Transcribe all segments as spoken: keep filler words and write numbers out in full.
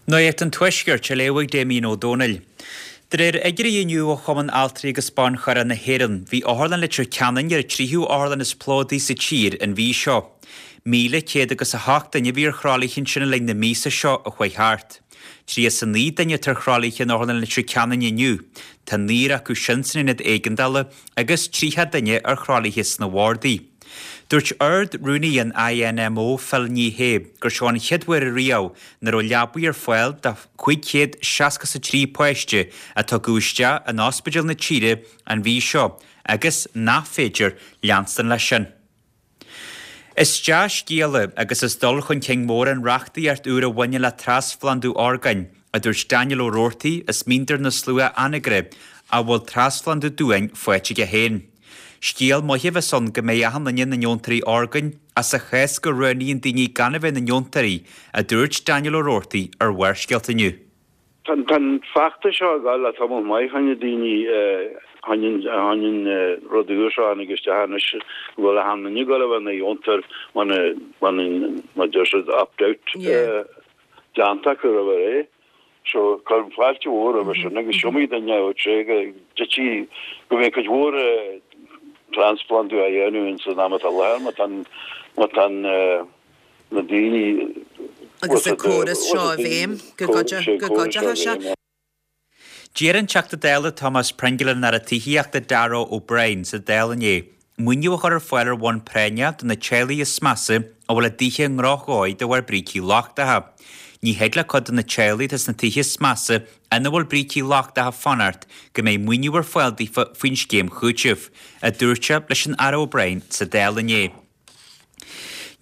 Nuacht an Tuaiscirt á léamh ag Damien Ó Dónaill. De réir fhigiúirí inniu ó Chumann Altraí agus Ban Charthanachta na hÉireann, bhí Otharlann Leitir Ceanainn ar an tríú otharlann is plódaí sa tír an mhí seo. Míle céad agus a hocht duine a bhí ar thralaithe ansin le linn na míosa seo a chuaigh thart. Tríocha is a naoi duine atá ar thralaithe in Otharlann Leitir Ceanainn inniu, Tá naonúr acu sin san aonad éigeandála agus tríocha duine ar thralaithe sna wardaí. Dúirt Ard-Rúnaí an INMO Phil Ní Sheaghdha gur seo an chéad uair riamh nach raibh leabaí ar fáil do chúig chéad seasca a trí páiste a tugadh isteach in ospidéal na tíre an mhí seo agus nach féidir leanstan leis sin. Is dea-scéala agus is dul chun cinn mór an reachtaíocht úr a bhaineann le trasphlandú orgáin, a dúirt Daniel Ó Roarty as Míndar na Slua Anagaire a bhfuil trasphlandú duáin faighte aige féin. Scéal maith a bheas ann go mbeidh achan duine ina ndeontóirí orgáin as a chás go roghnaíonn daoine gan a bheith ina ndeontóirí, a dúirt Daniel Ó Roarty ar Bharrscéalta inniu. Tá an feachtas seo ag dul le tamall maith cheana daoine tháinig rud úr seo tháinig isteach anois go bhfuil achan duine ag dul a bheith ina dheontóir má deir siad opt-out déanta acu roimh ré. So cuirim fáilte mhór roimhe sin agus is iomaí duine a sé go dtí go mbeidh cuid mhór transplantáil á dhéanamh in san am atá láthair má tá má tá na daoine agus an córas seo i bhfeidhm go gcuideoidh sé. D'iarr an Teachta Dála Thomas Pringle ar an Aire Tithíochta Darragh O'Brien sa Dáil inné, maoiniú a chur ar fáil ar bhonn práinneach do na teaghlaigh is measa a bhfuil a dtithe i ndrochdhóigh de bharr brící lochtacha. Ní thig le cuid de na teaghlaigh atá sna tithe is measa ina bhfuil brící lochtacha fanacht go mbeidh maoiniú ar fáil daofa faoin scéim chúitimh, a dúirt sé leis an Aire O'Brien sa Dáil inné.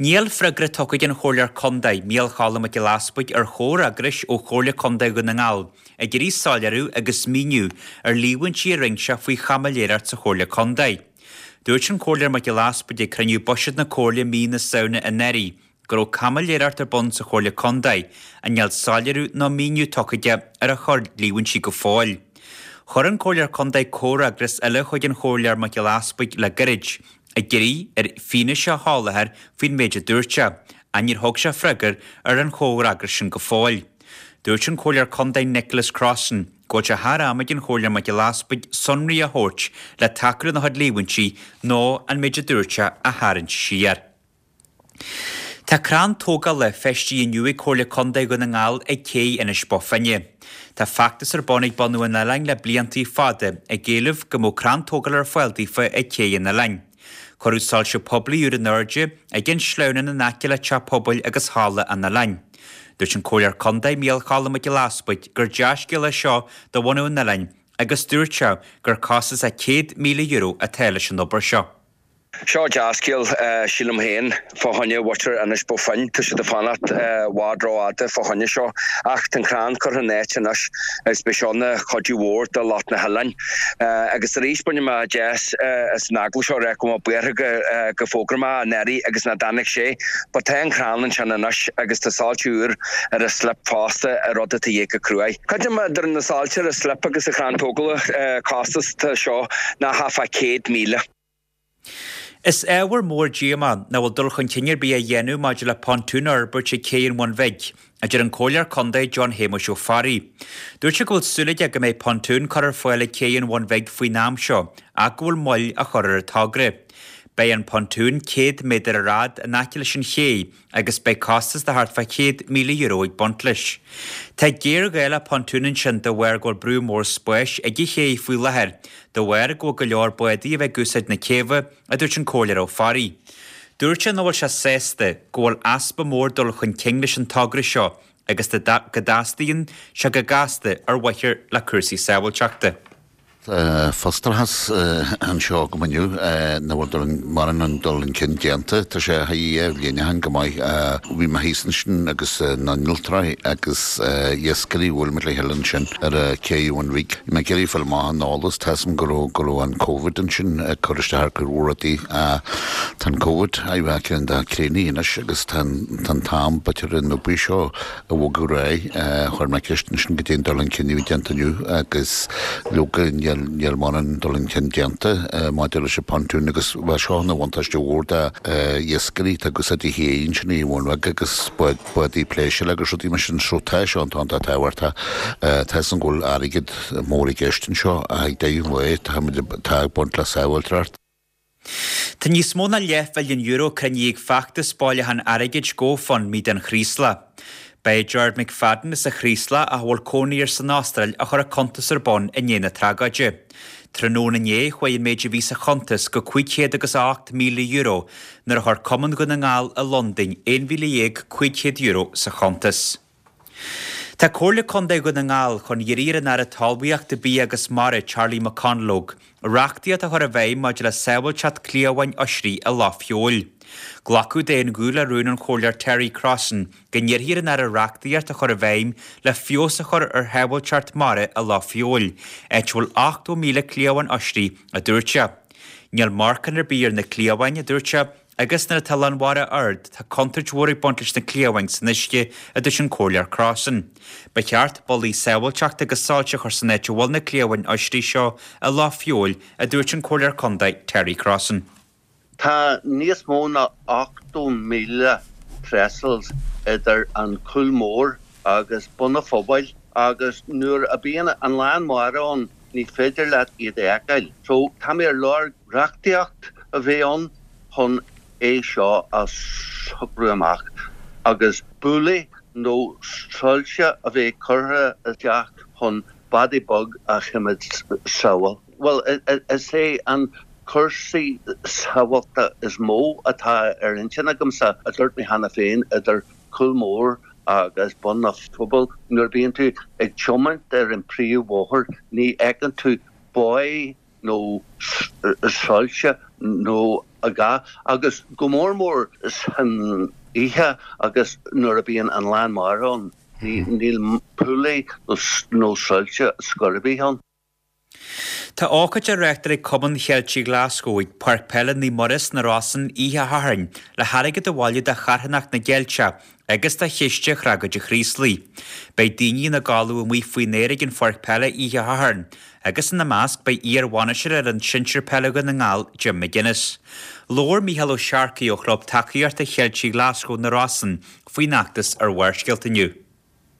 Níl freagra tugtha ag an Chomhairleoir Contae Mícheál Choilm Mac Giolla Easbuig ar chomhfhreagras ó Chomhairle Contae Dhún na nGall ag iarraidh soiléiriú agus míniú ar líomhaintí a rinne sé faoi chaimiléireacht sa Chomhairle Contae. Dúirt an Comhairleoir Mac Giolla Easbuig ag cruinniú buiséid na Comhairle mí na Samhna anuraidh go raibh caimiléireacht ar bun sa Chomhairle Contae ach níl soiléiriú ná míniú tugtha aige ar a chuid líomhaintí go fóill. Chuir an Comhairleoir Contae comhfhreagras eile chuig an Chomhairleoir Mac Giolla Easbuig le gairid, ag iarraidh air fianaise a sholáthar faoin méid a dúirt sé, ach níor thug sé freagra ar an chomhfhreagras sin go fóill. Dúirt an Comhairleoir Contae Nicholas Crossan go bhfuil sé thar am ag an Chomhairleoir Mac Giolla Easbuig sonraí a thabhairt le tacú lena chuid líomhaintí nó an méid a dúirt sé a tharraingt siar. Tá crann tógála feistithe inniu ag Comhairle Contae Dhún na nGall ag cé Inis Bó Finne. Tá feachtas ar bun ag bunadh an oileáin le blianta fada ag éileamh go mbeadh crann tógála ar fáil daofa ag cé an oileáin. Cuireadh soilse poiblí úr in airde ag an sleamhnán in aice le teach pobail agus halla an oileáin. Dúirt an Comhairleoir Contae Mícheál Choilm Mac Giolla Easbuig gur dea-scéal é seo do bhunadh an oileáin agus dúirt sé gur costas a céad míle euro atá leis an obair seo. Seo dea-scéal sílim féin fá choinne mhuintir Inis Bó Finne Tá siad ag fanacht i bhfad rófhada fá choinne seo ach tá an crann curtha in áit anois agus beidh seo ina chuidiú mhór do lucht na hoileáin. Agus arís bainfidh mé deis as an agallamh seo rá go mbeadh buartha go gur fhógair mé anuraidh agus nach dtáinig sé, but tá an crann ansin anois agus tá soilse úr ar an slip fosta a rud atá go cruaidh. Creidim idir na soilse ar an slip agus an chrann tógála costas tá seo ná thart fá céad míle. Is ábhar mór díomá nach bhfuil dul chun cinn ar bith á dhéanamh maidir le pontún a fhorbairt ag cé an Bhun Bhig, a deir an Comhairleoir Contae John Shéamuis Ó Fearraigh. Dúirt sé go bhfuil súil aige go mbeidh pontún curtha ar fáil ag cé an Bhun Bhig faoin am seo ach go bhfuil moill á chur ar an togra. Beidh an pontún céad méadar ar fhad in aice leis an ché agus beidh costas de thart fá chéad míle euro ag baint leis. Tá géarghá le pontún ansin de bharr go bhfuil brú mór spáis ag an ché faoi láthair, de bharr go bhfuil go leor bádaí a bheith ag úsáid na céibhe, a dúirt an Comhairleoir Ó Fearraigh. Dúirt sé nach bhfuil sé sásta go bhfuil easpa mór dul chun cinn leis an togra seo agus go dteastaíonn sé go gasta ar mhaithe le cúrsaí sábháilteachta. Frustrachas anseo go inniu nach bhfuil mórán an dul chun cinn déanta Tá sé thá bhliain go maith bhí mé thíos ansin agus na n-ultráí agus iascairí bhfuil me le heile sin ar a cé an rí. Mé géirí fil má an nálas tásam go raibh go raibh an COVID ansin chur isteach ar rudaí Tá an COVID a bheith an dá créní anois agus tá an t-am b'fhéidir an obair seo a bhogadh ar aghaidh chuir mé ceist ansin go dtí an dul chun cinn déanta inniu agus leoga níl níl mórán dul chun cinn déanta maidir leis an pontún agus bheadh seo ina bhuntáiste mhór do iascairí tá agus a dtithe ansin i Bhun Bheag agus bádaí pléisiúir agus rudaí mar sin so tá seo an tábhachtach tá san go bhfuil airgead mór i gceist anseo ag deireadh an lae tá ag baint le sábháilteacht. Tá níos mó ná leathmhilliún euro cruinnithe ag feachtas bailiúcháin airgid GoFundMe don Chraoslach. Ba é Gerard McFadden as an Chraoslach a bhfuil cónaí air san Astráil a chuir an cuntas ar bun i ndiaidh na tragóide. Tráthnóna inné chuaigh an méid a bhí sa chuntas go cúig chéad agus a ocht míle euro nuair a chuir Cumann Dhún na nGall i Londain aon mhíle dhéag cúig chéad euro sa chuntas. Tá Comhairle Contae Dhún na nGall chun iarraidh ar an Aire Talmhaíochta, Bia agus Mara, Charlie McConalogue, reachtaíocht a chur i bhfeidhm maidir le sábháilteacht cliabháin oisrí i Loch Feabhail. Glacadh d'aon ghuth le rún an Chomhairleoir Terry Crossan go n-iarrfaí ar an Aire reachtaíocht a chur i bhfeidhm le feabhas a chur ar shábháilteacht mara i Loch Feabhail, áit a bhfuil ochtó míle cliabhán oisrí, a dúirt sé. Níl marcán ar bith ar na cliabháin, a dúirt sé, Agus nuair atá lán mhara ard, tá contúirt mhór ag baint leis na cliabháin san uisce, a dúirt an Comhairleoir Crossan. Ba cheart bollaí sábháilteachta agus soilse a chur san áit a bhfuil na cliabháin oisrí seo i Loch Feabhail, a dúirt an Comhairleoir Contae Terry Crossan. Tá níos mó ná ochtó míle trestles idir an Cúl Mór agus Bun a' Phobail agus nuair a bíonn an lán mara ann ní féidir leat iad a fheiceáil. So tá mé ar lorg reachtaíocht a bheith ann chun é seo a shocrú amach agus bullaí nó soilse a bheith curtha isteach chun bádaí beag a choimeád sábháil. Bhuel, is é an cúrsaí sábháilteachta is mó atá ar intinn agamsa, a dúirt mé cheana féin, idir Cúl Mór agus Bun a' Phobail. Nuair a bhíonn tú ag tiomáint ar an príomhbhóthar ní fheiceann tú buoy nó soilse nó a dhath, agus go mór mór san oíche agus nuair a bíonn an lán mara ann, níl pollaí nó soilse scor ar bith ann. Tá ócáid á reáchtáil ag Cumann Cheiltigh Ghlaschú ag Páirc Peile Naomh Muire sna Rosann oíche Shathairn le hairgead a bhailiú do charthanacht na gCeilteach agus do Chiste Thragóid an Chraoslaigh. Beidh daoine ina gcodladh amuigh faoin aer ag an pháirc peile oíche Shathairn, agus ina measc beidh iar-bhainisteoir fhoireann sinsir peile Dhún na nGall, Jim McGuinness. Labhair Mícheál Ó Searcaigh ó Chlub Tacaíochta Cheiltigh Ghlaschú na Rosann faoin fheachtas ar Bharrscéalta inniu.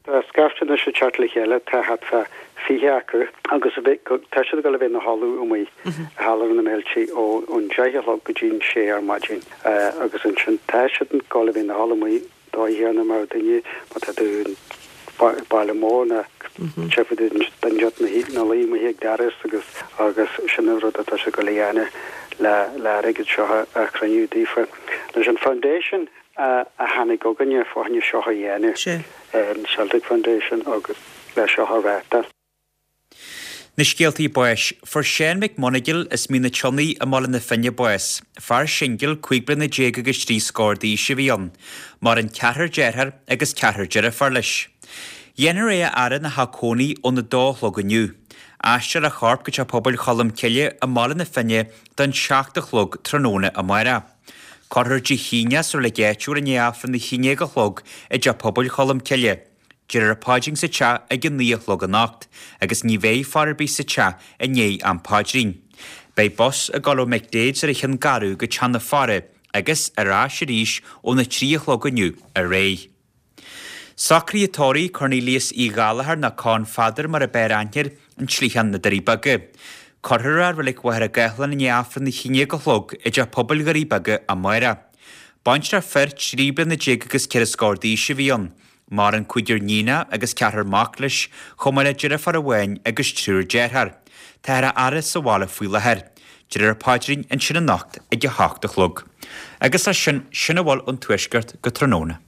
Tá scaifte anois ag teacht le chéile, tá thart fá fiche acu, agus tá siad ag dul a bheith ina chodladh amuigh i Halla na bhFéilte ón deich a chlog go dtí an sé ar maidin agus ansin tá siad ag dul a bheith ina chodladh amuigh dóigh chéanna mar duine má tá tú i baile mór ná tchífidh tú duine ina luí amuigh ag doras agus agus sin an rud atá siad ag dul a dhéanamh le le airgead seo a chruinniú daofa. Leis an foundation a a tháinig chugainne fá choinne seo a dhéanamh, an Celtic Foundation agus le seo a reáchtáil. Na scéaltaí báis. Fuair Seán Mac Monagail as Mín an tSionnaigh i mBaile na Finne bás. Fear singil, cúig bliana déag agus trí scór d'aois a bhí ann. Maireann ceathrar dearthár agus ceathrar deirfiúr leis. Dhéanfar é a fhaire ina theach cónaí óna dó a chlog inniu. Aistreofar a chorp go Teach Pobail Cholm Cille i mBaile na Finne don seacht a chlog tráthnóna amárach. Cuirfear Dé hAoine sa reilig áitiúil i ndiaidh Aifreann a haon déag a chlog i dTeach Pobail Cholm Cille. Déarfar paidrín sa teach ag a naoi a chlog anocht agus ní bheidh faire ar bith sa teach i ndiaidh am paidrín. Beidh bus ag dul ó McDaid's ar an Cheann Garbh go teach na faire agus ar ais arís óna trí a chlog inniu ar aghaidh. Socruithe tórraimh Cornelius Uí Ghallachair nó Con Pheadair mar ab fhearr aithne air, An tSligeán na Doirí Beaga. Cuirfear é i Reilig Mhachaire Gathlán i ndiaidh Aifreann a haon déag a chlog i dTeach Pobail Dhoirí Beaga amárach. Baintreach fir trí bliana déag agus ceithre scór d'aois a bhí ann. Maireann cúigear níonach agus ceathrar mac leis, chomh maith le deirfiúr amháin agus triúr dearthár. Táthar á fhaire sa bhaile faoi láthair. Déarfar paidrín ansin anocht ag a hocht a chlog. Agus leis sin, sin a bhfuil ón Tuaisceart go tráthnóna.